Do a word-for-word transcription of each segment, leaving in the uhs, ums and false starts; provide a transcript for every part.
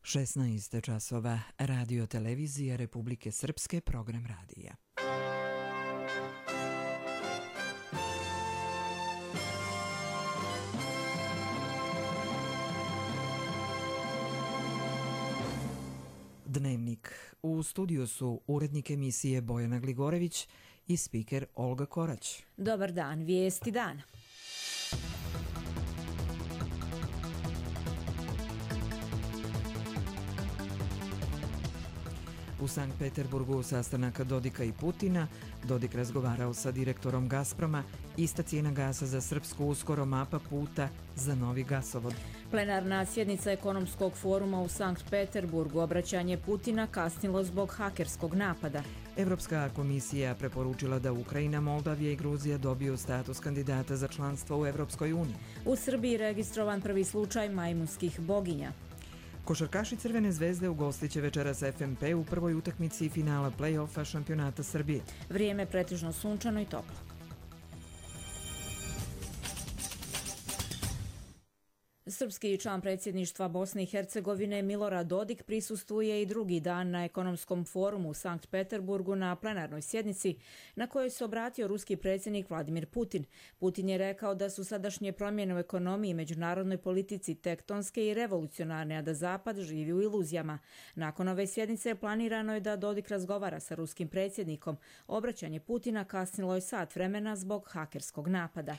šesnaest časova, Radio televizija Republike Srpske, program radija. Dnevnik. U studiju su urednik emisije Bojana Gligorević i spiker Olga Korać. Dobar dan, vijesti dana. U Sankt Peterburgu sastanak Dodika i Putina, Dodik razgovarao sa direktorom Gazproma, ista cijena gasa za Srpsku, uskoro mapa puta za novi gasovod. Plenarna sjednica ekonomskog foruma u Sankt Peterburgu, obraćanje Putina kasnilo zbog hakerskog napada. Evropska komisija preporučila da Ukrajina, Moldavija i Gruzija dobiju status kandidata za članstvo u Evropskoj uniji. U Srbiji registrovan prvi slučaj majmunskih boginja. Košarkaši Crvene zvezde ugostiće večeras F M P u prvoj utakmici finala play-offa šampionata Srbije. Vrijeme pretežno sunčano i toplo. Srpski član predsjedništva Bosne i Hercegovine Milorad Dodik prisustvuje i drugi dan na ekonomskom forumu u Sankt Peterburgu na plenarnoj sjednici na kojoj se obratio ruski predsjednik Vladimir Putin. Putin je rekao da su sadašnje promjene u ekonomiji i međunarodnoj politici tektonske i revolucionarne, a da Zapad živi u iluzijama. Nakon ove sjednice planirano je da Dodik razgovara sa ruskim predsjednikom. Obraćanje Putina kasnilo je sat vremena zbog hakerskog napada.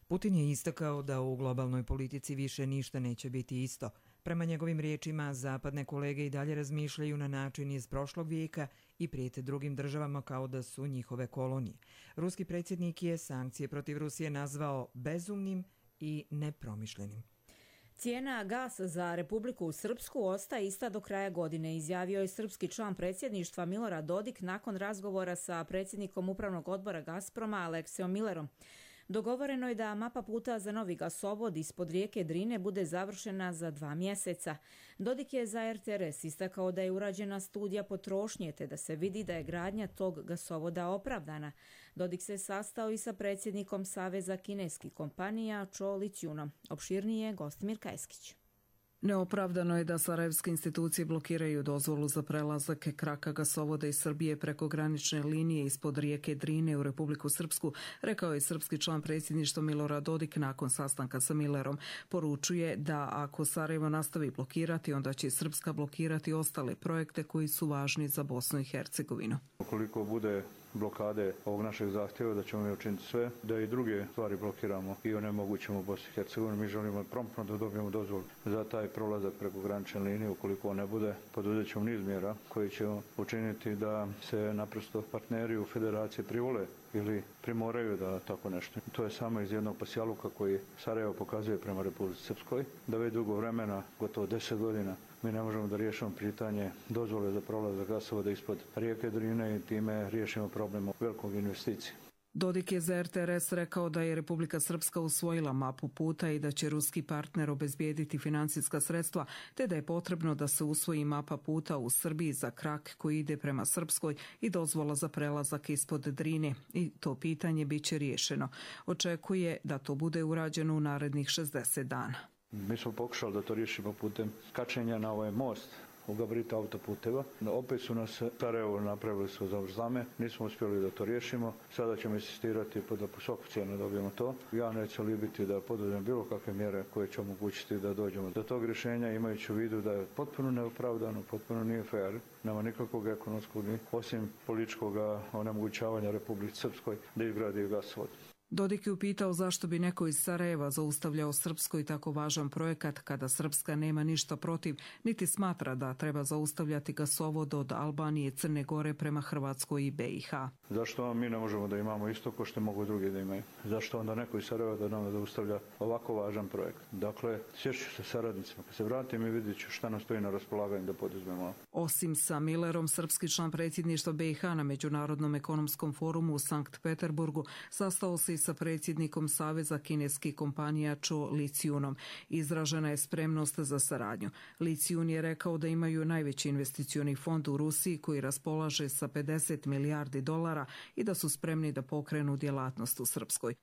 Putin je istakao da u globalnoj politici više ništa neće biti isto. Prema njegovim riječima, zapadne kolege i dalje razmišljaju na način iz prošlog vijeka i prijete drugim državama kao da su njihove kolonije. Ruski predsjednik je sankcije protiv Rusije nazvao bezumnim i nepromišljenim. Cijena gasa za Republiku Srpsku ostaje ista do kraja godine, izjavio je srpski član predsjedništva Milorad Dodik nakon razgovora sa predsjednikom upravnog odbora Gazproma Aleksijom Millerom. Dogovoreno je da mapa puta za novi gasovod ispod rijeke Drine bude završena za dva mjeseca. Dodik je za R T R S istakao da je urađena studija potrošnje te da se vidi da je gradnja tog gasovoda opravdana. Dodik se sastao i sa predsjednikom Saveza kineskih kompanija Cho Lithiumom. Opširnije Gostimir Kajskić. Neopravdano je da sarajevske institucije blokiraju dozvolu za prelazak kraka gasovoda iz Srbije preko granične linije ispod rijeke Drine u Republiku Srpsku, rekao je srpski član predsjedništva Milorad Dodik nakon sastanka sa Millerom. Poručuje da ako Sarajevo nastavi blokirati, onda će Srpska blokirati ostale projekte koji su važni za Bosnu i Hercegovinu. Ukoliko bude blokade ovog našeg zahtjeva, da ćemo mi učiniti sve da i druge stvari blokiramo i onemogućimo u Bosni i Hercegovini. Mi želimo promptno da dobijemo dozvolu za taj prolazak preko granične linije. Ukoliko on ne bude, poduzet ćemo niz mjera koji ćemo učiniti da se naprosto partneri u federaciji privole ili primoraju da tako nešto. To je samo iz jednog pasjaluka koji Sarajevo pokazuje prema Republici Srpskoj, da već dugo vremena, gotovo deset godina, mi ne možemo da riješimo pitanje dozvole za prolazak gasovoda ispod rijeke Drine i time riješimo problem velikog investicije. Dodik je za R T R S rekao da je Republika Srpska usvojila mapu puta i da će ruski partner obezbijediti financijska sredstva, te da je potrebno da se usvoji mapa puta u Srbiji za krak koji ide prema Srpskoj i dozvola za prelazak ispod Drine. I to pitanje bit će riješeno. Očekuje da to bude urađeno u narednih šezdeset dana. Mi smo pokušali da to riješimo putem kačenja na ovaj most u gabarita autoputeva. Opet su nas Sarajevo napravili su zavrzlame, nismo uspjeli da to riješimo. Sada ćemo insistirati da po svaku cijenu dobijemo to. Ja neću libiti da poduzmem bilo kakve mjere koje će omogućiti da dođemo do tog rješenja, imajući u vidu da je potpuno neopravdano, potpuno nije fair, nema nikakvog ekonomskog, osim političkog onemogućavanja Republike Srpskoj da izgradi gasovod. Dodik je upitao zašto bi neko iz Sarajeva zaustavljao Srpskoj tako važan projekat kada Srpska nema ništa protiv, niti smatra da treba zaustavljati gasovod od Albanije, Crne Gore prema Hrvatskoj i B i H. Zašto mi ne možemo da imamo isto ko što mogu drugi da imaju? Zašto onda neko iz Sarajeva da nam zaustavlja ovako važan projekt? Dakle, sješću se saradnicima. Kad se vratim i vidjet ću šta nam stoji na raspolaganju da poduzmemo. Osim sa Millerom, srpski član predsjedništva B i H na Međunarodnom ekonomskom forumu u Sankt Peterburgu sastao se i sa predsjednikom Saveza kineskih kompanija Cho Lithiumom. Izražena je spremnost za saradnju. Lithium je rekao da imaju najveći investicioni fond u Rusiji koji raspolaže sa pedeset milijardi dolara i da su spremni da pokrenu djelatnost u Srpskoj.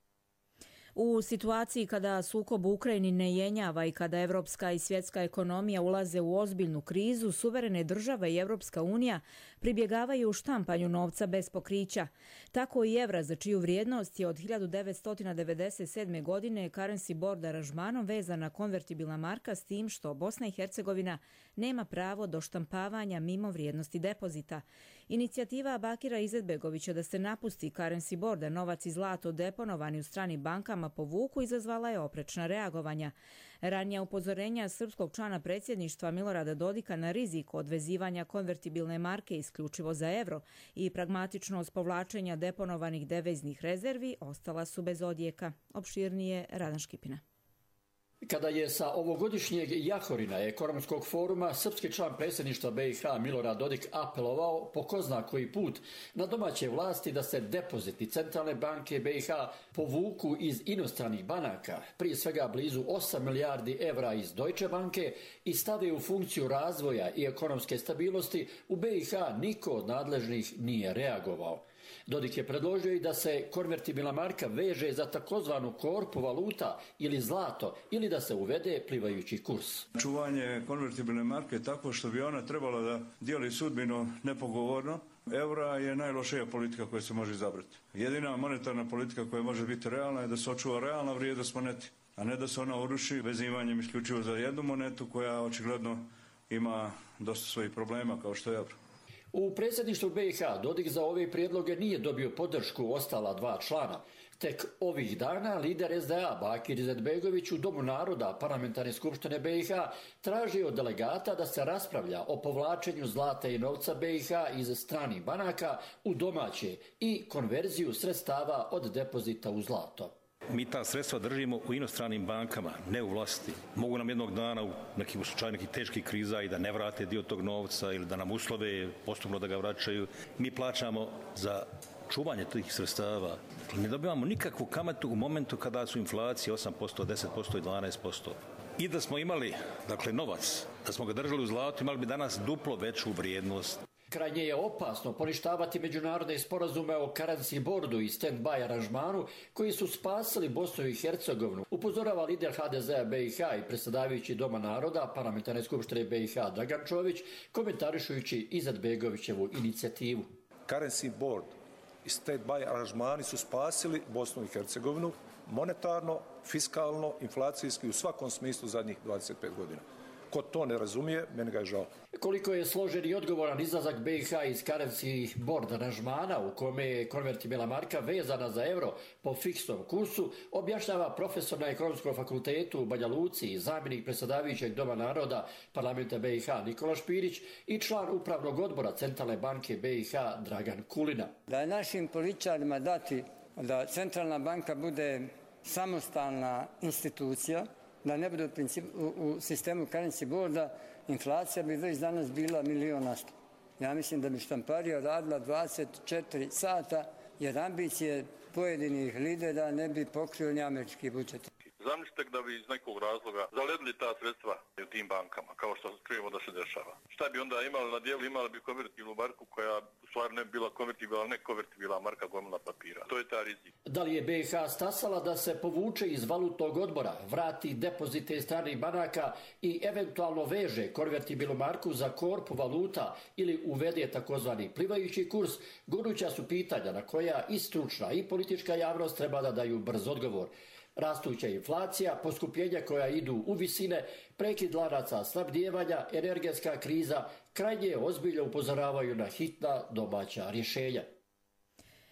U situaciji kada sukob u Ukrajini ne jenjava i kada evropska i svjetska ekonomija ulaze u ozbiljnu krizu, suverene države i Evropska unija pribjegavaju štampanju novca bez pokrića. Tako i evra, za čiju vrijednost je od hiljadu devetsto devedeset sedme. godine currency board aranžmanom vezana konvertibilna marka, s tim što Bosna i Hercegovina nema pravo do štampavanja mimo vrijednosti depozita. Inicijativa Bakira Izetbegovića da se napusti currency board, a novac i zlato deponovani u stranim bankama povuku, izazvala je oprečna reagovanja. Ranija upozorenja srpskog člana predsjedništva Milorada Dodika na rizik od vezivanja konvertibilne marke isključivo za evro i pragmatičnost povlačenja deponovanih deviznih rezervi ostala su bez odjeka. Opširnije Radan Škipina. Kada je sa ovogodišnjeg Jahorina ekonomskog foruma srpski član predsjedništva B i H Milorad Dodik apelovao po ko zna koji put na domaće vlasti da se depoziti centralne banke B i H povuku iz inostranih banaka, prije svega blizu osam milijardi evra iz Deutsche banke, i stave u funkciju razvoja i ekonomske stabilnosti, u B i H niko od nadležnih nije reagovao. Dodik je predložio i da se konvertibilna marka veže za takozvanu korpu valuta ili zlato, ili da se uvede plivajući kurs. Čuvanje konvertibilne marke tako što bi ona trebala da dijeli sudbinu nepogovorno eura je najlošija politika koja se može izabrati. Jedina monetarna politika koja može biti realna je da se očuva realna vrijednost moneti, a ne da se ona uruši vezivanjem isključivo za jednu monetu koja očigledno ima dosta svojih problema kao što je euro. U predsjedništvu B i H Dodik za ove prijedloge nije dobio podršku ostala dva člana. Tek ovih dana lider S D A Bakir Izetbegović u Domu naroda Parlamentarne skupštine B i H traži od delegata da se raspravlja o povlačenju zlata i novca B i H iz stranih banaka u domaće i konverziju sredstava od depozita u zlato. Mi ta sredstva držimo u inostranim bankama, ne u vlasti. Mogu nam jednog dana u nekim slučaju nekih teških kriza i da ne vrate dio tog novca ili da nam uslove postupno da ga vraćaju. Mi plaćamo za čuvanje tih sredstava. Ne dobivamo nikakvu kamatu u momentu kada su inflacije osam posto, deset posto i dvanaest posto. I da smo imali, dakle, novac, da smo ga držali u zlatu, imali bi danas duplo veću vrijednost. Krajnje je opasno poništavati međunarodne sporazume o currency boardu i stand-by aranžmanu koji su spasili Bosnu i Hercegovinu, upozorava lider H D Z-a B i H i predsjedavajući Doma naroda Parlamentarne skupštine B i H Dragan Čović, komentarišujući Izetbegovićevu inicijativu. Currency board i stand-by aranžmani su spasili Bosnu i Hercegovinu monetarno, fiskalno, inflacijski, u svakom smislu zadnjih dvadeset pet godina. Ko to ne razumije, meni ga je žao. Koliko je složen i odgovoran izlazak B i H iz currency board aranžmana u kome je konvertibilna marka vezana za euro po fiksnom kursu, objašnjava profesor na Ekonomskom fakultetu u Banja Luci i zamjenik predsjedavajućeg Doma naroda Parlamenta B i H Nikola Špirić i član upravnog odbora Centralne banke B i H Dragan Kulina. Da je našim političarima dati da Centralna banka bude samostalna institucija, da ne bude u, principu, u, u sistemu currency boarda, inflacija bi već danas bila milionasta. Ja mislim da bi štamparija radila dvadeset četiri sata, jer ambicije pojedinih lidera ne bi pokrio ni američki budžet. Zamislite da bi iz nekog razloga zaledili ta sredstva u tim bankama, kao što čujemo da se dešava. Šta bi onda imali na dijelu? Imali bi konvertibilnu marku koja u stvari ne bi bila konvertibilna, ne konvertibilna marka gomila papira. To je ta rizik. Da li je B i H stasala da se povuče iz valutnog odbora, vrati depozite stranih banaka i eventualno veže konvertibilnu marku za korpu valuta ili uvede takozvani plivajući kurs, goruća su pitanja na koja i stručna i politička javnost treba da daju brz odgovor. Rastuća inflacija, poskupljenja koja idu u visine, prekid lanaca snabdijevanja, energetska kriza, krajnje ozbiljno upozoravaju na hitna domaća rješenja.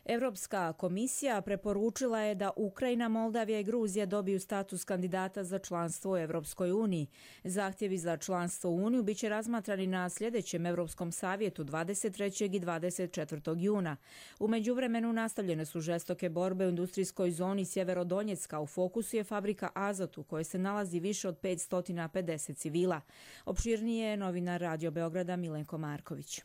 Evropska komisija preporučila je da Ukrajina, Moldavija i Gruzija dobiju status kandidata za članstvo u Evropskoj uniji. Zahtjevi za članstvo u Uniju biće razmatrani na sljedećem Evropskom savjetu dvadeset trećeg i dvadeset četvrtog juna. U međuvremenu nastavljene su žestoke borbe u industrijskoj zoni Sjeverodonjecka. U fokusu je fabrika Azot u kojoj se nalazi više od petsto pedeset civila. Opširnije je novinar Radio Beograda Milenko Marković.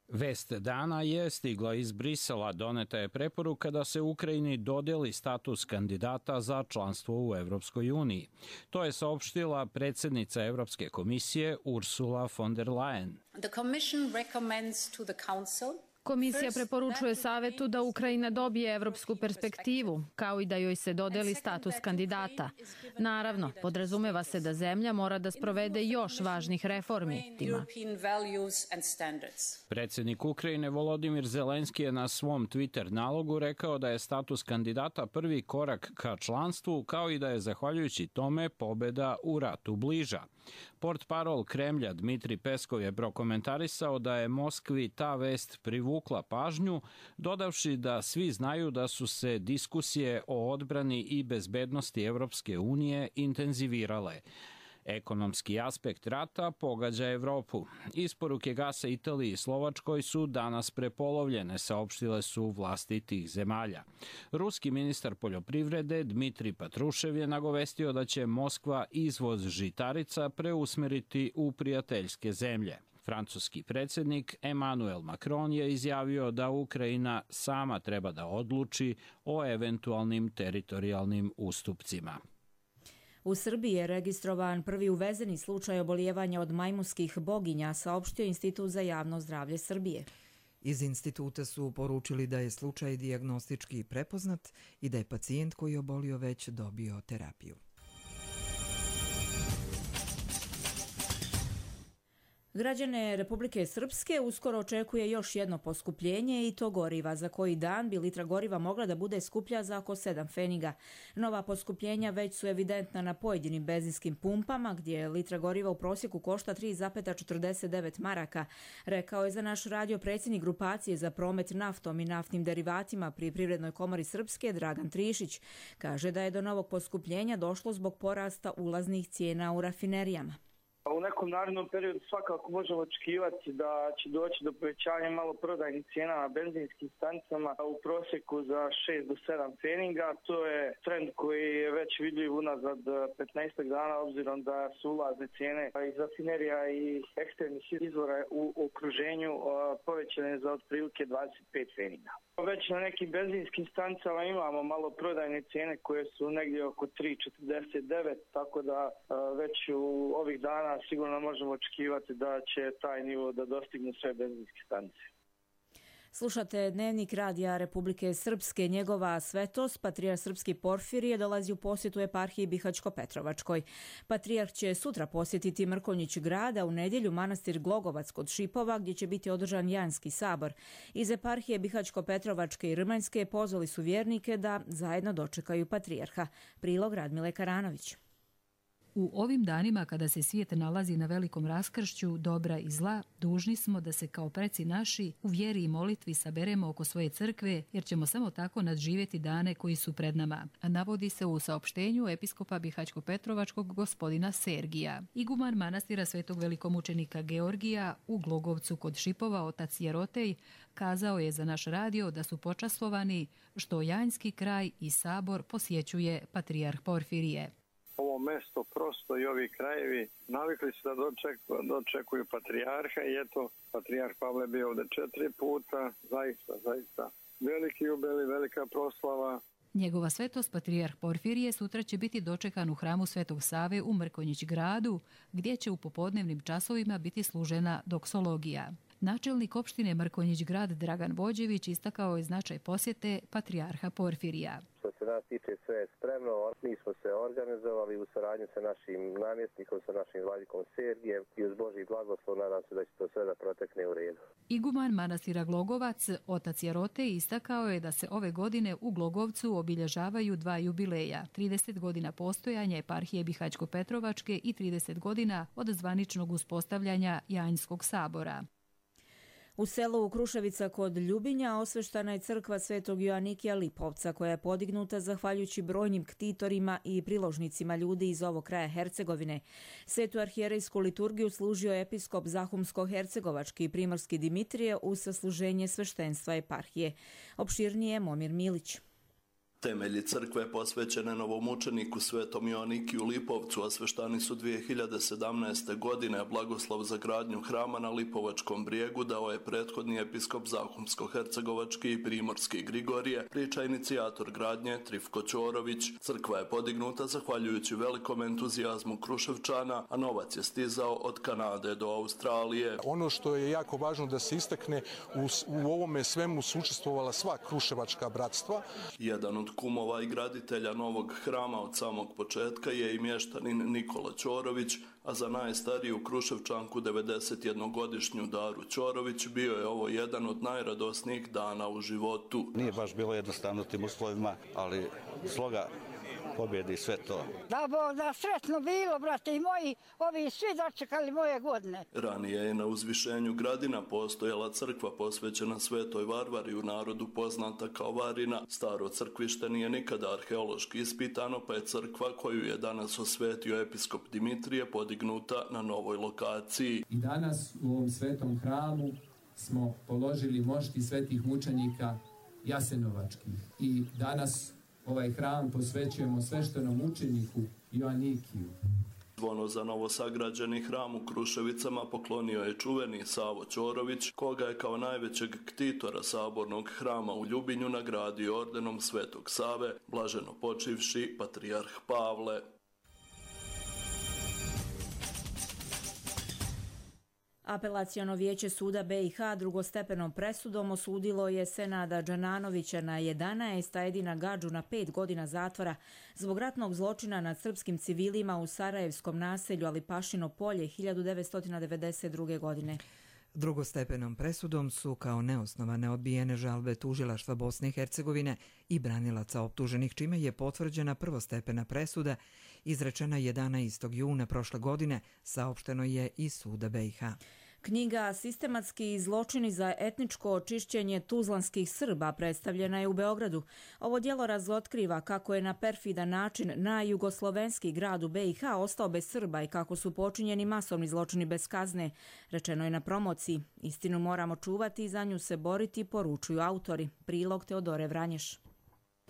Vest dana je stigla iz Brisela. Doneta je preporuka da se Ukrajini dodeli status kandidata za članstvo u Evropskoj uniji. To je saopštila predsjednica Evropske komisije Ursula von der Leyen. The Commission recommends to the Council Komisija preporučuje Savetu da Ukrajina dobije evropsku perspektivu, kao i da joj se dodeli status kandidata. Naravno, podrazumeva se da zemlja mora da sprovede još važnih reformi. Tima. Predsjednik Ukrajine Volodimir Zelenski je na svom Twitter nalogu rekao da je status kandidata prvi korak ka članstvu, kao i da je zahvaljujući tome pobeda u ratu bliža. Portparol Kremlja Dmitri Peskov je prokomentarisao da je Moskvi ta vest privukla pažnju, dodavši da svi znaju da su se diskusije o odbrani i bezbednosti Evropske unije intenzivirale. Ekonomski aspekt rata pogađa Evropu. Isporuke gasa Italiji i Slovačkoj su danas prepolovljene, saopštile su vlasti tih zemalja. Ruski ministar poljoprivrede Dmitri Patrušev je nagovestio da će Moskva izvoz žitarica preusmeriti u prijateljske zemlje. Francuski predsjednik Emmanuel Macron je izjavio da Ukrajina sama treba da odluči o eventualnim teritorijalnim ustupcima. U Srbiji je registrovan prvi uvezeni slučaj obolijevanja od majmunskih boginja, saopštio Institut za javno zdravlje Srbije. Iz instituta su poručili da je slučaj dijagnostički prepoznat i da je pacijent koji je obolio već dobio terapiju. Građane Republike Srpske uskoro očekuje još jedno poskupljenje i to goriva. Za koji dan bi litra goriva mogla da bude skuplja za oko sedam pfeniga. Nova poskupljenja već su evidentna na pojedinim benzinskim pumpama, gdje litra goriva u prosjeku košta tri zarez četrdeset devet maraka, rekao je za naš radio predsjednik grupacije za promet naftom i naftnim derivatima pri Privrednoj komori Srpske Dragan Trišić. Kaže da je do novog poskupljenja došlo zbog porasta ulaznih cijena u rafinerijama. U nekom narednom periodu svakako možemo očekivati da će doći do povećanja maloprodajnih cijena na benzinskim stanicama u prosjeku za šest do sedam pfeniga. To je trend koji je već vidljiv unazad petnaest dana, obzirom da su ulazne cijene iz rafinerija i eksternih izvora u okruženju povećane za otprilike dvadeset pet pfeniga. Već na nekim benzinskim stanicama imamo maloprodajne cijene koje su negdje oko tri zarez četrdeset devet, tako da već u ovih dana sigurno možemo očekivati da će taj nivo da dostigne sve benzinske stanice. Slušate Dnevnik radija Republike Srpske. Njegova svetost, patrijarh Srpski Porfirije, dolazi u posjetu eparhiji Bihaćko-Petrovačkoj. Patrijarh će sutra posjetiti Mrkonjić grada, u nedjelju manastir Glogovac kod Šipova, gdje će biti održan Janski sabor. Iz eparhije Bihaćko-Petrovačke i Rmanjske pozvali su vjernike da zajedno dočekaju patrijarha. Prilog Radmile Karanović. U ovim danima kada se svijet nalazi na velikom raskršću dobra i zla, dužni smo da se kao preci naši u vjeri i molitvi saberemo oko svoje crkve, jer ćemo samo tako nadživjeti dane koji su pred nama. A navodi se u saopštenju episkopa Bihaćko-Petrovačkog gospodina Sergija. Iguman manastira svetog velikomučenika Georgija u Glogovcu kod Šipova, otac Jerotej, kazao je za naš radio da su počastvovani što Janjski kraj i sabor posjećuje patrijarh Porfirije. Ovo mesto prosto i ovi krajevi navikli su da dočekuju, dočekuju patrijarha i eto, patrijarh Pavle bio ovdje četiri puta, zaista, zaista veliki jubilej, velika proslava. Njegova svetost patrijarh Porfirije sutra će biti dočekan u hramu Svetog Save u Mrkonjić gradu, gdje će u popodnevnim časovima biti služena doksologija. Načelnik opštine Mrkonjić grad Dragan Vođević istakao je značaj posjete patrijarha Porfirija. Što se nas tiče, sve je spremno. Mi smo se organizovali u saradnji sa našim namjesnikom, sa našim vladikom Sergijem i uz Božji blagoslov nadam se da će to sve da protekne u redu. Iguman manastira Glogovac, otac Jerote, istakao je da se ove godine u Glogovcu obilježavaju dva jubileja. trideset godina postojanja eparhije Bihaćko-Petrovačke i trideset godina od zvaničnog uspostavljanja Janjskog sabora. U selu Kruševica kod Ljubinja osveštana je crkva Svetog Joanikija Lipovca, koja je podignuta zahvaljujući brojnim ktitorima i priložnicima ljudi iz ovog kraja Hercegovine. Svetu arhijerejsku liturgiju služio episkop Zahumsko-Hercegovački i Primorski Dimitrije uz sasluženje sveštenstva eparhije. Opširnije Momir Milić. Temelji crkve posvećene novomučeniku Svetom Joaniki u Lipovcu osveštani su dvije hiljade sedamnaeste. godine, a blagoslov za gradnju hrama na Lipovačkom brijegu dao je prethodni episkop Zahumsko-hercegovački i primorski Grigorije, priča inicijator gradnje Trifko Ćorović. Crkva je podignuta zahvaljujući velikom entuzijazmu Kruševčana, a novac je stizao od Kanade do Australije. Ono što je jako važno da se istakne, u, u ovome svemu su učestvovala sva kruševačka bratstva. Jedan od kumova i graditelja novog hrama od samog početka je i mještanin Nikola Ćorović, a za najstariju Kruševčanku devedesetjednogodišnju Daru Ćorović bio je ovo jedan od najradosnijih dana u životu. Nije baš bilo jednostavno tim uslovima, ali sloga pobjedi sve to. Da Bog da sretno bilo, brate, i moji, ovi svi dočekali moje godine. Ranije je na uzvišenju Gradina postojala crkva posvećena Svetoj Varvari, u narodu poznata kao Varina. Staro crkvište nije nikada arheološki ispitano, pa je crkva koju je danas osvetio episkop Dimitrije podignuta na novoj lokaciji. I danas u ovom svetom hramu smo položili mošti svetih mučenika Jasenovačkih. I danas ovaj hram posvećujemo sveštenom mučeniku Joanikiju. Zvono za novosagrađeni hram u Kruševicama poklonio je čuveni Savo Ćorović, koga je kao najvećeg ktitora sabornog hrama u Ljubinju nagradio ordenom Svetog Save, blaženo počivši patrijarh Pavle. Apelaciono vijeće suda B i H drugostepenom presudom osudilo je Senada Džananovića na jedanaest, a Edina Gadžu na pet godina zatvora zbog ratnog zločina nad srpskim civilima u sarajevskom naselju Alipašino polje hiljadu devetsto devedeset druge. godine. Drugostepenom presudom su kao neosnovane odbijene žalbe tužilaštva Bosne i Hercegovine i branilaca optuženih, čime je potvrđena prvostepena presuda izrečena jedanaestog juna prošle godine, saopšteno je iz suda B i H. Knjiga Sistematski zločini za etničko očišćenje tuzlanskih Srba predstavljena je u Beogradu. Ovo djelo razotkriva kako je na perfidan način na jugoslovenski grad u B i H ostao bez Srba i kako su počinjeni masovni zločini bez kazne. Rečeno je na promociji. Istinu moramo čuvati i za nju se boriti, poručuju autori. Prilog Teodore Vranješ.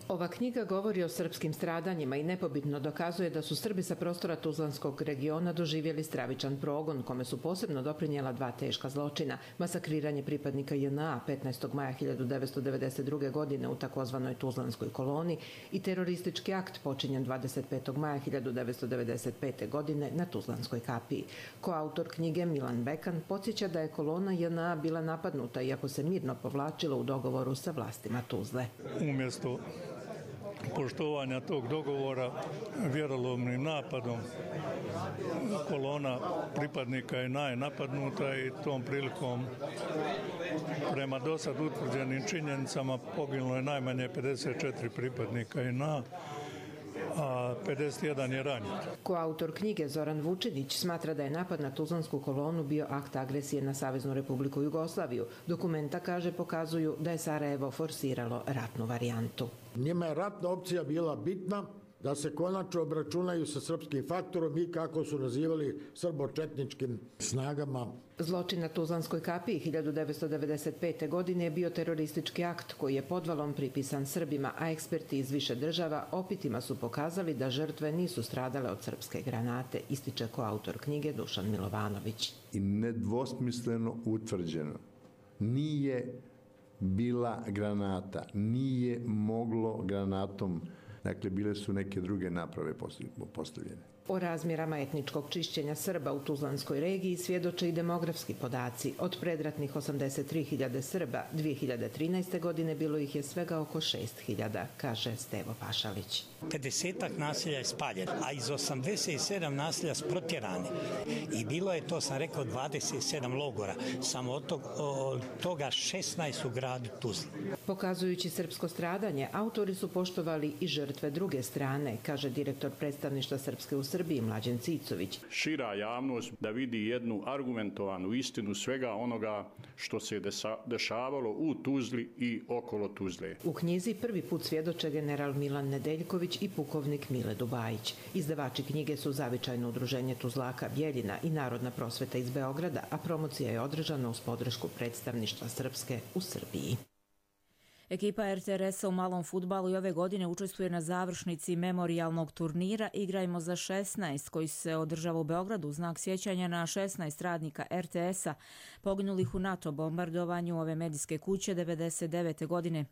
Ova knjiga govori o srpskim stradanjima i nepobitno dokazuje da su Srbi sa prostora Tuzlanskog regiona doživjeli stravičan progon, kome su posebno doprinijela dva teška zločina. Masakriranje pripadnika J N A petnaestog maja hiljadu devetsto devedeset druge. godine u takozvanoj Tuzlanskoj koloni i teroristički akt počinjen dvadeset petog maja hiljadu devetsto devedeset pete. godine na Tuzlanskoj kapiji. Koautor knjige Milan Bekan podsjeća da je kolona J N A bila napadnuta, iako se mirno povlačilo u dogovoru sa vlastima Tuzle. Umjesto poštovanja tog dogovora vjerolomnim napadom kolona pripadnika je napadnuta i tom prilikom prema dosad utvrđenim činjenicama poginulo je najmanje pedeset četiri pripadnika J N A, a pedeset jedan je ranjen. Koautor knjige Zoran Vučinić smatra da je napad na Tuzlansku kolonu bio akt agresije na Saveznu Republiku Jugoslaviju. Dokumenta, kaže, pokazuju da je Sarajevo forsiralo ratnu varijantu. Njima je ratna opcija bila bitna, da se konačno obračunaju sa srpskim faktorom i, kako su nazivali, srbočetničkim snagama. Zločin na Tuzlanskoj kapiji hiljadu devetsto devedeset pete. godine je bio teroristički akt koji je podvalom pripisan Srbima, a eksperti iz više država opitima su pokazali da žrtve nisu stradale od srpske granate, ističe koautor knjige Dušan Milovanović. I nedvosmisleno utvrđeno, nije bila granata, nije moglo granatom, dakle bile su neke druge naprave postavljene. O razmjerama etničkog čišćenja Srba u Tuzlanskoj regiji svjedoče i demografski podaci. Od predratnih osamdeset tri hiljade Srba dvije hiljade trinaeste. godine bilo ih je svega oko šest hiljada, kaže Stevo Pašalić. pedesetak naselja je spaljeno, a iz osamdeset sedam naselja protjerani. I bilo je, to sam rekao, dvadeset sedam logora. Samo od tog, od toga šesnaest u gradu Tuzli. Pokazujući srpsko stradanje, autori su poštovali i žrtve druge strane, kaže direktor predstavništva Srpske u Srbiji Mlađen Cicović. Šira javnost da vidi jednu argumentovanu istinu svega onoga što se dešavalo u Tuzli i okolo Tuzle. U knjizi prvi put svjedoče general Milan Nedeljković i pukovnik Mile Dubajić. Izdavači knjige su Zavičajno udruženje Tuzlaka Bjeljina i Narodna prosveta iz Beograda, a promocija je održana uz podršku predstavništva Srpske u Srbiji. Ekipa R T R S-a u malom fudbalu i ove godine učestvuje na završnici memorijalnog turnira Igrajmo za šesnaest, koji se održava u Beogradu u znak sjećanja na šesnaest radnika R T S-a poginulih u NATO bombardovanju ove medijske kuće devedeset devete godine.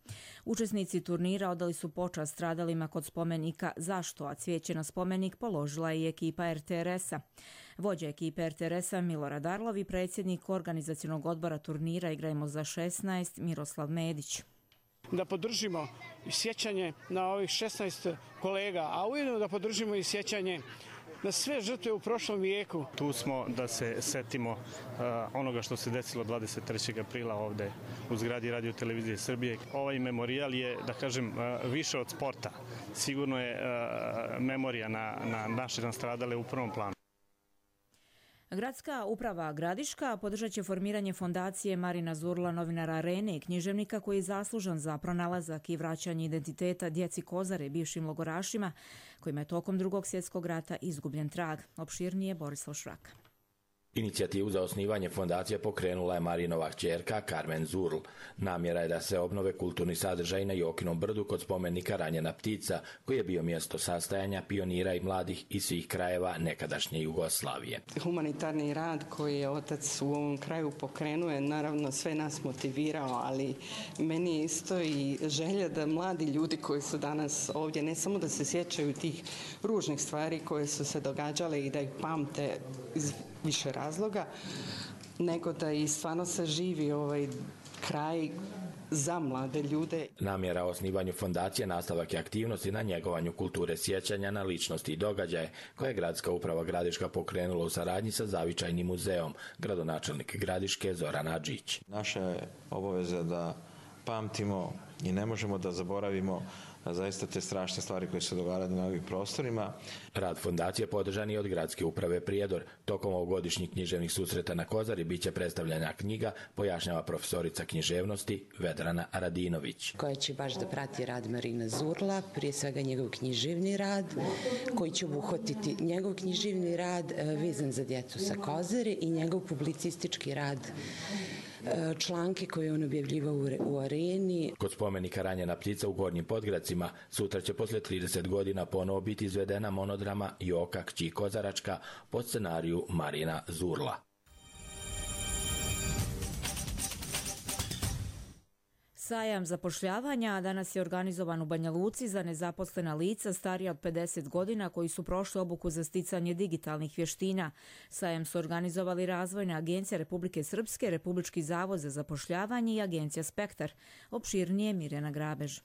Učesnici turnira odali su počast stradalima kod spomenika Zašto, a cvijeće na spomenik položila je i ekipa R T R S-a. Vođa ekipe R T R S-a Milorad Arlov i predsjednik organizacionog odbora turnira Igrajmo za šesnaest Miroslav Medić. Da podržimo sjećanje na ovih šesnaest kolega, a ujedno da podržimo i sjećanje na sve žrtve u prošlom vijeku. Tu smo da se setimo uh, onoga što se desilo dvadeset trećeg aprila ovde u zgradi Radio Televizije Srbije. Ovaj memorijal je, da kažem, uh, više od sporta. Sigurno je uh, memorija na, na naše nastradale u prvom planu. Gradska uprava Gradiška podržat će formiranje fondacije Marina Zurla, novinara Arene i književnika koji je zaslužan za pronalazak i vraćanje identiteta djeci Kozare, bivšim logorašima, kojima je tokom drugog svjetskog rata izgubljen trag. Opširnije Borislav Švraka. Inicijativu za osnivanje fondacije pokrenula je Marinova kćerka Karmen Zurl. Namjera je da se obnove kulturni sadržaj na Jokinom brdu kod spomenika Ranjena ptica, koji je bio mjesto sastajanja pionira i mladih iz svih krajeva nekadašnje Jugoslavije. Humanitarni rad koji je otac u ovom kraju pokrenuo je naravno sve nas motivirao, ali meni je isto i želja da mladi ljudi koji su danas ovdje ne samo da se sjećaju tih ružnih stvari koje su se događale i da ih pamte iz više razloga, nego da i stvarno se živi ovaj kraj za mlade ljude. Namjera o osnivanju fondacije nastavak je aktivnosti na njegovanju kulture sjećanja na ličnosti i događaje, koje je Gradska uprava Gradiška pokrenula u saradnji sa Zavičajnim muzeom, gradonačelnik Gradiške Zoran Adžić. Naša je obaveza da pamtimo i ne možemo da zaboravimo zaista te strašne stvari koje se događaju na ovim prostorima. Rad fondacije podržan je od Gradske uprave Prijedor. Tokom ovogodišnjih književnih susreta na Kozari biće predstavljena knjiga, pojašnjava profesorica književnosti Vedrana Radinović. Koja će baš da prati rad Marina Zurla, prije svega njegov književni rad, koji će obuhvatiti njegov književni rad vezan za djecu sa Kozare i njegov publicistički rad, članke koje on objavljivao u Areni. Kod spomenika Ranjena ptica u Gornjim Podgradcima sutra će posle trideset godina ponovo biti izvedena monodrama Joka kći Kozaračka po scenariju Marina Zurla. Sajam zapošljavanja danas je organizovan u Banja Luci za nezaposlena lica starija od pedeset godina koji su prošli obuku za sticanje digitalnih vještina. Sajam su organizovali Razvojna agencija Republike Srpske, Republički zavod za zapošljavanje i agencija Spektar. Opširnije Mirjana Grabež.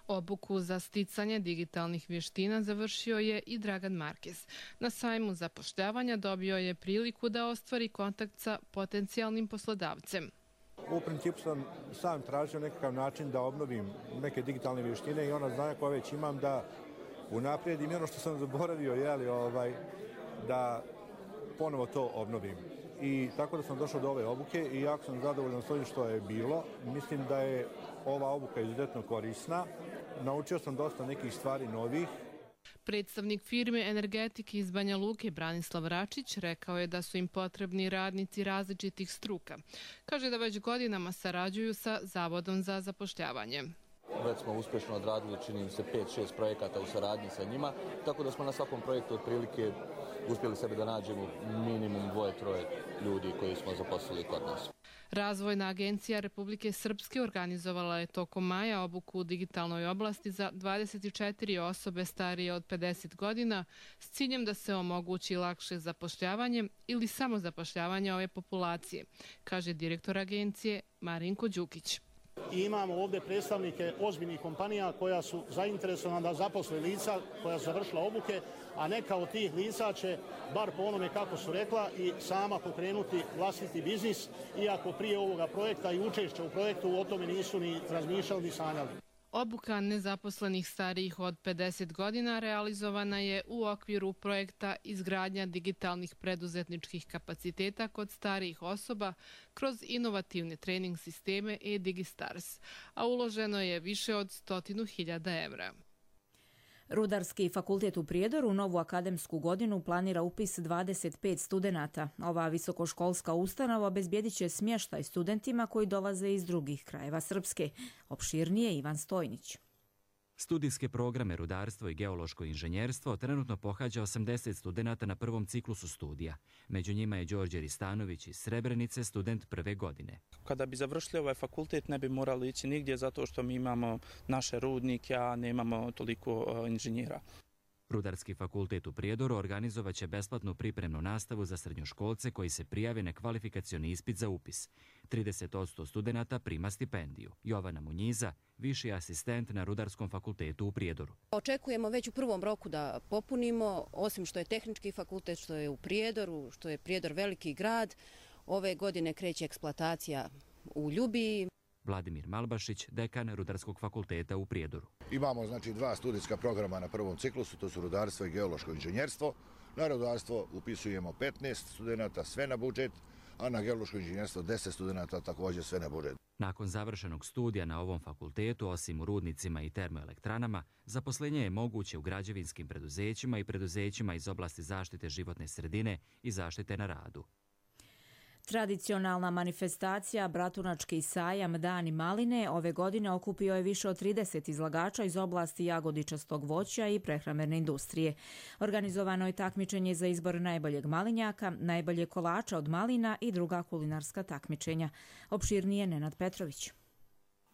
Obuku za sticanje digitalnih vještina završio je i Dragan Markez. Na sajmu zapošljavanja dobio je priliku da ostvari kontakt sa potencijalnim poslodavcem. U principu sam sam tražio nekakav način da obnovim neke digitalne vještine i ona znanja koja već imam da unaprijedim i ono što sam zaboravio, jeli, ovaj, da ponovo to obnovim. I tako da sam došao do ove obuke i jako sam zadovoljan s ovim što je bilo. Mislim da je ova obuka izuzetno korisna. Naučio sam dosta nekih stvari novih. Predstavnik firme energetike iz Banja Luke Branislav Račić rekao je da su im potrebni radnici različitih struka. Kaže da već godinama sarađuju sa Zavodom za zapošljavanje. Već smo uspješno odradili, čini mi se, pet šest projekata u saradnji sa njima, tako da smo na svakom projektu otprilike uspjeli sebe da nađemo minimum dvoje, troje ljudi koji smo zaposlili kod nas. Razvojna agencija Republike Srpske organizovala je tokom maja obuku u digitalnoj oblasti za dvadeset četiri osobe starije od pedeset godina s ciljem da se omogući lakše zapošljavanje ili samozapošljavanje ove populacije, kaže direktor agencije Marinko Đukić. I imamo ovdje predstavnike ozbiljnih kompanija koja su zainteresovana da zaposle lica koja su završila obuke, a neka od tih lica će, bar po onome kako su rekla, i sama pokrenuti vlastiti biznis, iako prije ovoga projekta i učešća u projektu o tome nisu ni razmišljali ni sanjali. Obuka nezaposlenih starijih od pedeset godina realizovana je u okviru projekta izgradnja digitalnih preduzetničkih kapaciteta kod starijih osoba kroz inovativne trening sisteme e-Digistars, a uloženo je više od stotinu hiljada evra. Rudarski fakultet u Prijedoru u novu akademsku godinu planira upis dvadeset pet studenata. Ova visokoškolska ustanova obezbijedit će smještaj studentima koji dolaze iz drugih krajeva Srpske. Opširnije Ivan Stojnić. Studijske programe rudarstvo i geološko inženjerstvo trenutno pohađa osamdeset studenata na prvom ciklusu studija. Među njima je Đorđe Ristanović iz Srebrenice, student prve godine. Kada bi završili ovaj fakultet ne bi morali ići nigdje zato što mi imamo naše rudnike, a nemamo toliko inženjera. Rudarski fakultet u Prijedoru organizovaće besplatnu pripremnu nastavu za srednjoškolce koji se prijave na kvalifikacioni ispit za upis. trideset posto studenata prima stipendiju. Jovana Munjiza, viši asistent na Rudarskom fakultetu u Prijedoru. Očekujemo već u prvom roku da popunimo, osim što je tehnički fakultet, što je u Prijedoru, što je Prijedor veliki grad. Ove godine kreće eksploatacija u Ljubiji. Vladimir Malbašić, dekan Rudarskog fakulteta u Prijedoru. Imamo znači dva studijska programa na prvom ciklusu, to su rudarstvo i geološko inženjerstvo. Na rudarstvo upisujemo petnaest studenata, sve na budžet, a na geološko inženjerstvo deset studenata, također sve na budžet. Nakon završenog studija na ovom fakultetu, osim u rudnicima i termoelektranama, zaposlenje je moguće u građevinskim preduzećima i preduzećima iz oblasti zaštite životne sredine i zaštite na radu. Tradicionalna manifestacija Bratunački sajam Dani maline ove godine okupio je više od trideset izlagača iz oblasti jagodičastog voća i prehrambene industrije. Organizovano je takmičenje za izbor najboljeg malinjaka, najbolje kolača od malina i druga kulinarska takmičenja. Opširnije Nenad Petrović.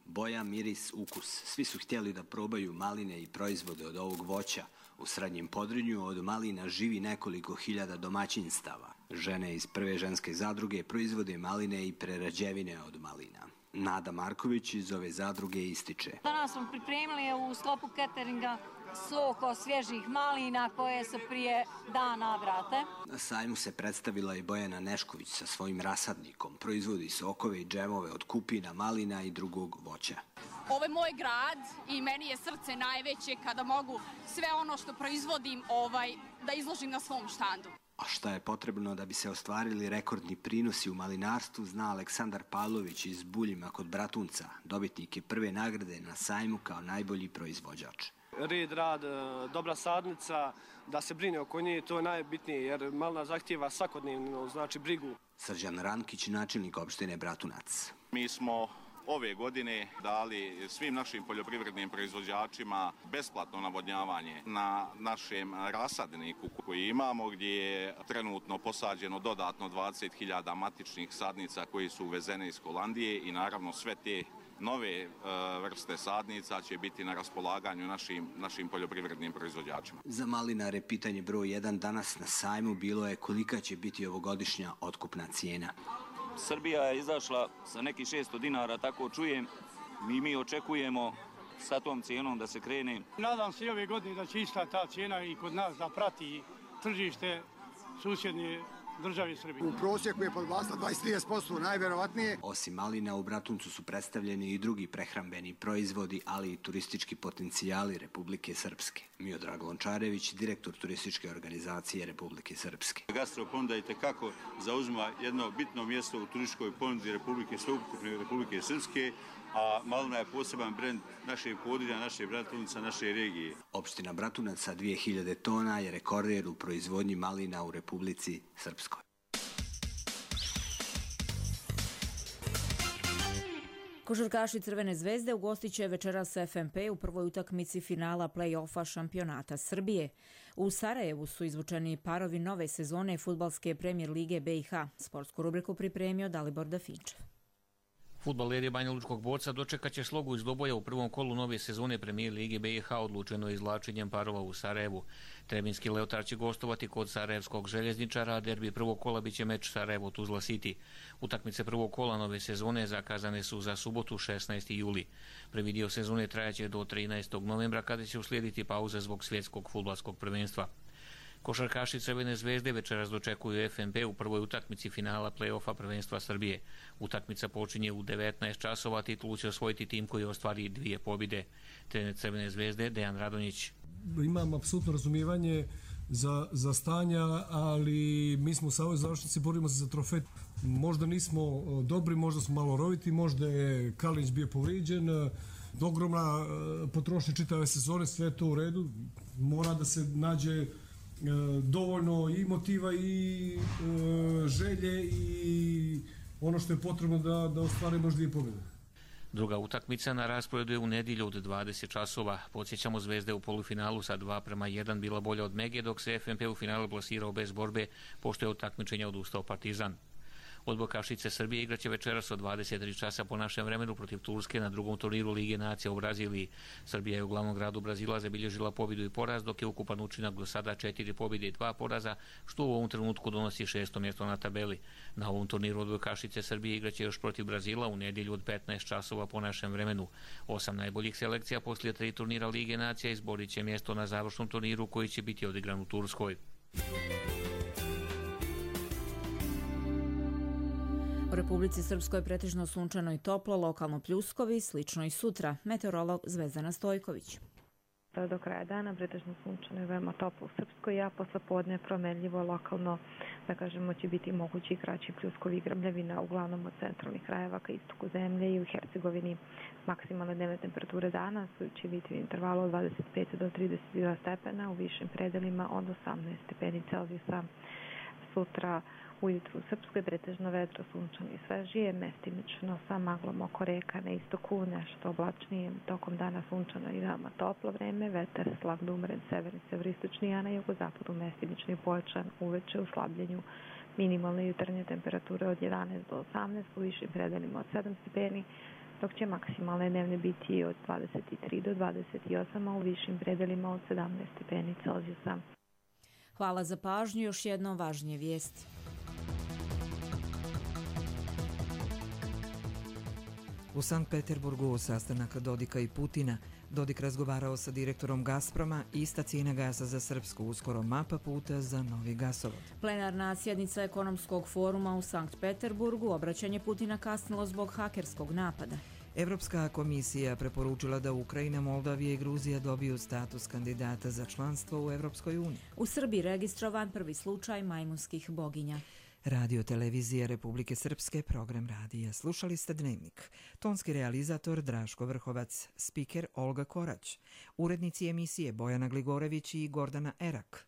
Boja, miris, ukus. Svi su htjeli da probaju maline i proizvode od ovog voća. U Srednjem Podrinju od malina živi nekoliko hiljada domaćinstava. Žene iz prve ženske zadruge proizvode maline i prerađevine od malina. Nada Marković iz ove zadruge ističe. Danas smo pripremili u sklopu cateringa sok od svježih malina koje se prije dana vrate. Na sajmu se predstavila i Bojana Nešković sa svojim rasadnikom. Proizvodi sokove i džemove od kupina, malina i drugog voća. Ovo je moj grad i meni je srce najveće kada mogu sve ono što proizvodim ovaj, da izložim na svom štandu. A šta je potrebno da bi se ostvarili rekordni prinosi u malinarstvu, zna Aleksandar Pavlović iz Buljima kod Bratunca, dobitnik je prve nagrade na sajmu kao najbolji proizvođač. Red, rad, dobra sadnica, da se brine oko nje, to je najbitnije jer malina zahtijeva svakodnevno, znači brigu. Srđan Rankić, načelnik opštine Bratunac. Mi smo ove godine dali svim našim poljoprivrednim proizvođačima besplatno navodnjavanje na našem rasadniku koji imamo, gdje je trenutno posađeno dodatno dvadeset hiljada matičnih sadnica koji su uvezene iz Holandije i naravno sve te nove vrste sadnica će biti na raspolaganju našim, našim poljoprivrednim proizvođačima. Za malinare pitanje broj jedan danas na sajmu bilo je kolika će biti ovogodišnja otkupna cijena. Srbija je izašla sa nekih šesto dinara, tako čujem. Mi mi očekujemo sa tom cijenom da se krene. Nadam se i ove godine da će ista ta cijena i kod nas da prati tržište susjedne države Srbije. U prosjeku je podvlasla dvadeset do trideset posto najvjerovatnije. Osim malina, u Bratuncu su predstavljeni i drugi prehrambeni proizvodi, ali i turistički potencijali Republike Srpske. Miodrag Lončarević, direktor turističke organizacije Republike Srpske. Gastroponuda i tekako zauzima jedno bitno mjesto u turističkoj ponudi Republike Sveukupne Republike Srpske, a malina je poseban brend našeg područja, naše Bratunca, naše regije. Opština Bratunac sa dvije hiljade tona je rekorder u proizvodnji malina u Republici Srpskoj. Košarkaši Crvene zvezde ugostit će večeras F M P u prvoj utakmici finala play-offa šampionata Srbije. U Sarajevu su izvučeni parovi nove sezone fudbalske premijer lige B i H. Sportsku rubriku pripremio Dalibor Dafinčev. Fudbaleri Banja Lučkog Borca dočekat će slogu iz doboja u prvom kolu nove sezone premijer lige B i H odlučeno izvlačenjem parova u Sarajevu. Trebinski Leotar će gostovati kod sarajevskog željezničara, a derbi prvog kola biće meč Sarajevo-Tuzla City. Utakmice prvog kola nove sezone zakazane su za subotu šesnaesti juli. Prvi dio sezone trajaće do trinaestog novembra kada će uslijediti pauza zbog svjetskog fudbalskog prvenstva. Košarkaši Crvene zvezde večeras dočekuju F M P u prvoj utakmici finala play-offa prvenstva Srbije. Utakmica počinje u devetnaest časova, titulu će osvojiti tim koji ostvari dvije pobjede. Trener Crvene zvezde Dejan Radonjić. Imam apsolutno razumijevanje za, za stanja, ali mi smo u ovoj završnici borimo se za trofej. Možda nismo dobri, možda smo malo roviti, možda je Kalinić bio povrijeđen, ogromna potrošnja čitave sezone, sve to u redu. Mora da se nađe dovoljno i motiva i želje i ono što je potrebno da, da ostvarimo dvije pobjede. Druga utakmica na rasporedu je u nedjelju od dvadeset časova. Podsjećamo, Zvezda je u polufinalu sa dva prema jedan bila bolja od Mege, dok se F N P u finalu plasirao bez borbe, pošto je od takmičenja odustao Partizan. Odbojkašice Srbije igraće večeras od dvadeset tri časa po našem vremenu protiv Turske na drugom turniru Lige nacija u Braziliji. Srbija je u glavnom gradu Brazila zabilježila pobjedu i poraz, dok je ukupan učinak do sada četiri pobjede i dva poraza, što u ovom trenutku donosi šesto mjesto na tabeli. Na ovom turniru odbojkašice Srbije igraće još protiv Brazila u nedjelju od petnaest časova po našem vremenu. Osam najboljih selekcija poslije tri turnira Lige nacija izborit će mjesto na završnom turniru koji će biti odigran u Turskoj. U Republici Srpskoj pretežno sunčano i toplo, lokalno pljuskovi, slično i sutra. Meteorolog Zvezdana Stojković. Do kraja dana pretežno sunčano i veoma toplo u Srpskoj, a posle podne promenljivo lokalno, da kažemo, će biti mogući i kraći pljuskovi i grmljavina, uglavnom od centralnih krajeva ka istoku zemlje i u Hercegovini. Maksimalne dnevne temperature danas će biti u intervalu od dvadeset pet do trideset dva stepena, u višim predelima od osamnaest stepeni Celzijusa. Sutra ujutru u Srpskoj pretežno vedro, sunčano i svežije, mestimično sa maglom oko reka na istoku, nešto oblačnije, tokom dana sunčano i veoma toplo vreme, vetar slab da umeren severni severistočni, a na jugozapadu mestimično i pojačan, uveče u slabljenju. Minimalne jutarnje temperature od jedanaest do osamnaest, u višim predelima od sedam stepeni, dok će maksimalne dnevne biti od dvadeset tri do dvadeset osam, a u višim predelima od sedamnaest stepeni Celzijusa. Hvala za pažnju, još jedno važnije vijesti. U Sankt Peterburgu sastanak Dodika i Putina. Dodik razgovarao sa direktorom Gazproma, ista cijena gasa za Srpsku, uskoro mapa puta za novi gasovod. Plenarna sjednica ekonomskog foruma u Sankt Peterburgu, obraćanje Putina kasnilo zbog hakerskog napada. Evropska komisija preporučila da Ukrajina, Moldavija i Gruzija dobiju status kandidata za članstvo u Evropskoj uniji. U Srbiji registrovan prvi slučaj majmunskih boginja. Radio televizija Republike Srpske, program radija. Slušali ste Dnevnik. Tonski realizator Draško Vrhovac, spiker Olga Korać, urednici emisije Bojana Gligorević i Gordana Erak.